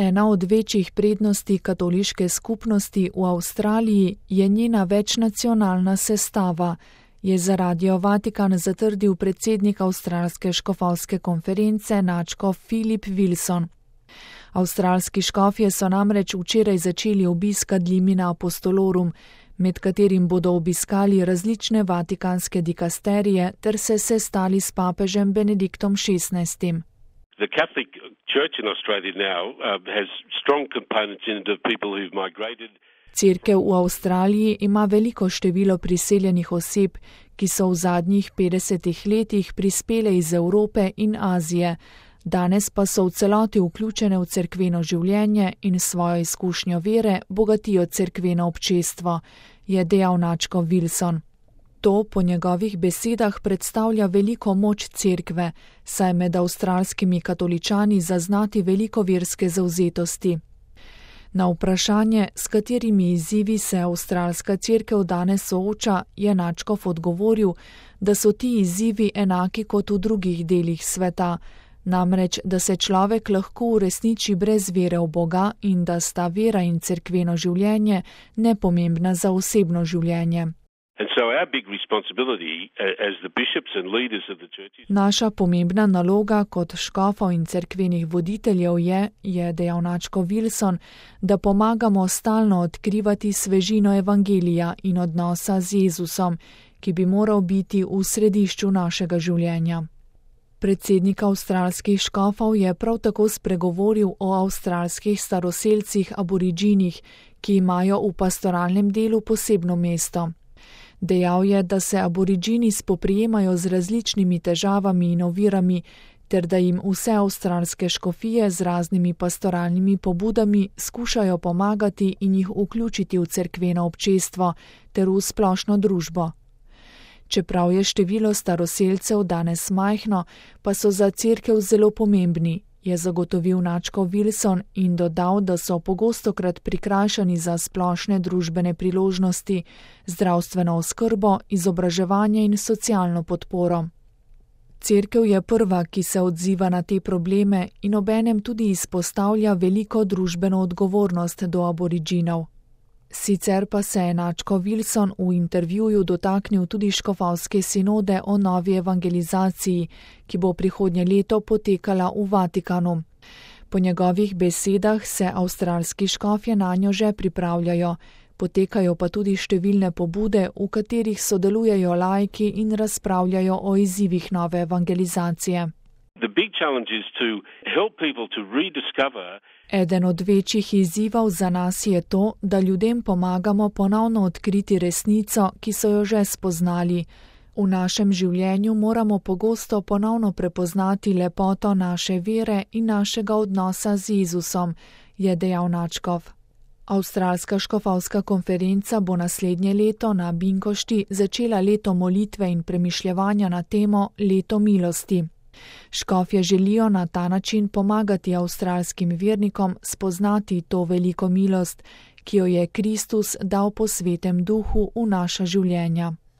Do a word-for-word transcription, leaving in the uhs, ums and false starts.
Ena od večjih prednosti katoliške skupnosti v Avstraliji je njena večnacionalna sestava, je za Radio Vatikan zatrdil predsednik Avstralske škofovske konference nadškof Philip Wilson. Avstralski škofje so namreč včeraj začeli obisk Ad limina apostolorum, med katerim bodo obiskali različne vatikanske dikasterije ter se sestali s papežem Benediktom šestnajstim. The Catholic Church in Australia now uh, has strong components in it of people who've migrated. Cerkev v Avstraliji ima veliko število priseljenih oseb, ki so v zadnjih petdesetih letih prispele iz Evrope in Azije, danes pa so v celoti vključene v cerkveno življenje in svojo izkušnjo vere bogatijo cerkveno občestvo, je dejal nadškof Wilson. To po njegovih besedah predstavlja veliko moč cerkve, saj med avstralskimi katoličani zaznati veliko verske zavzetosti. Na vprašanje, s katerimi izzivi se avstralska cerkev danes sooča, je nadškof odgovoril, da so ti izzivi enaki kot v drugih delih sveta, namreč, da se človek lahko uresniči brez vere v Boga in da sta vera in cerkveno življenje nepomembna za osebno življenje. Naša pomembna naloga kot škofov in cerkvenih voditeljev je, je dejal nadškof Wilson, da pomagamo stalno odkrivati svežino evangelija in odnosa z Jezusom, ki bi moral biti v središču našega življenja. Predsednik avstralskih škofov je prav tako spregovoril o avstralskih staroselcih aboriginih, ki imajo v pastoralnem delu posebno mesto. Dejal je, da se aborigini spoprijemajo z različnimi težavami in ovirami, ter da jim vse avstralske škofije z raznimi pastoralnimi pobudami skušajo pomagati in jih vključiti v cerkveno občestvo ter v splošno družbo. Čeprav je število staroselcev danes majhno, pa so za cerkev zelo pomembni, je zagotovil nadškof Wilson in dodal, da so pogostokrat prikrajšani za splošne družbene priložnosti, zdravstveno oskrbo, izobraževanje in socialno podporo. Cerkev je prva, ki se odziva na te probleme in obenem tudi izpostavlja veliko družbeno odgovornost do aboriginov. Sicer pa se je nadškof Wilson v intervjuju dotaknil tudi škofovske sinode o novi evangelizaciji, ki bo prihodnje leto potekala v Vatikanu. Po njegovih besedah se avstralski škofje nanjo že pripravljajo, potekajo pa tudi številne pobude, v katerih sodelujejo laiki in razpravljajo o izzivih nove evangelizacije. The big challenge is to help people to rediscover. Eden od večjih izzivov za nas je to, da ljudem pomagamo ponovno odkriti resnico, ki so jo že spoznali. V našem življenju moramo pogosto ponovno prepoznati lepoto naše vere in našega odnosa z Jezusom, je dejal nadškof. Avstralska škofovska konferenca bo naslednje leto na Binkošti začela leto molitve in premišljevanja na temo Leto milosti. Škofje želijo na ta način pomagati avstralskim vernikom spoznati to veliko milost, ki jo je Kristus dal po svetem duhu v naša življenja.